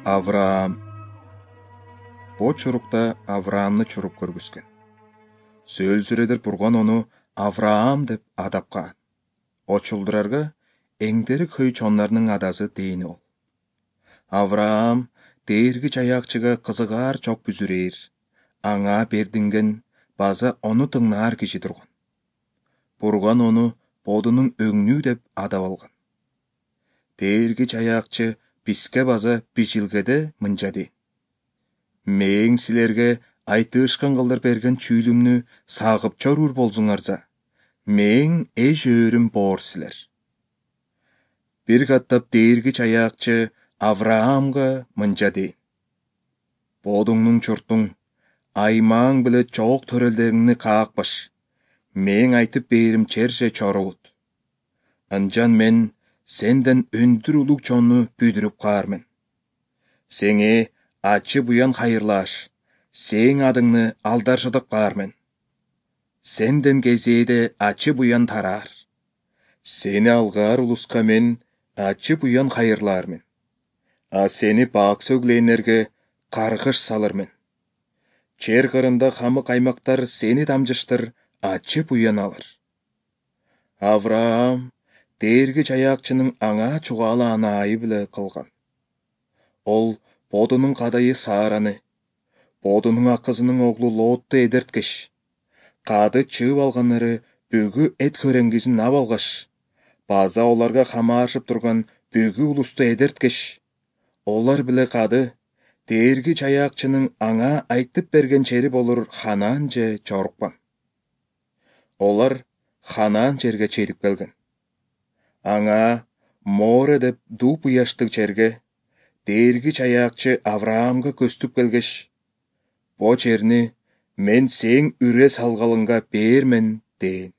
Авраам. Бо чурукта Авраамны чуруп көргүскөн. Сөөлсүредер бурган ону Авраам деп адапкан. Очулдурарга эңдерик хөй чоннарнын адасы дейини ол. Авраам дээрги чаякчыга кызыгаар чок бүзүрээр, аңа бердинген база ону тыңнаар киши турган. Бурган ону бодунун өңнүү деп адап алган. Дээрги чаякчы бизге база бижилгеде мынча дейт: Мээң силерге айтышкан кылдыр берген чүүлүмнү сагып чоруур болсуңарса, мээң эш өөрүм боор силер. Бир каттап дээрги чаякчы Авраамга мынча дейт: Бодуңнун чуртуң, аймаң биле чоок төрөлдөрүңнү каакпаш, мээң айтып бээрим черже чорубут. Анчан мен сенден өндүр улуг чонну бүдүрүп каармын. Сеңе ачы буян хайырлааш, сээң адыңны алдаршыдып каармын. Сенден кезээде ачы буян тараар. Сени алгаар улуска мен ачы буян хайырлаармын. А сени бак сөглээнерге каргыш салырмын. Чер кырында хамык аймактар сени дамжыштыр ачы буян алыр. Авраам дээрги чаякчынын аңа чугаалааны айы биле кылган. Ол бодунун кадайы Сараны, бодунун акызынын оглу Лотту эдерткеш, кады чыып алганнары бүгү эт хөреңгизин ап алгаш, база оларга камаашып турган бүгү улусту эдерткеш, олар биле кады дээрги чаякчынын аңа айтып берген чери болур Ханаан же чоруккан. Олар Ханаан жерге чейип келген. Аңа Море деп дууп ыяштык жерге дээрги чаякчы Авраамга көстүп келгеш, бо жерни мен сээң үрө салгалыңга бээрмен дейин.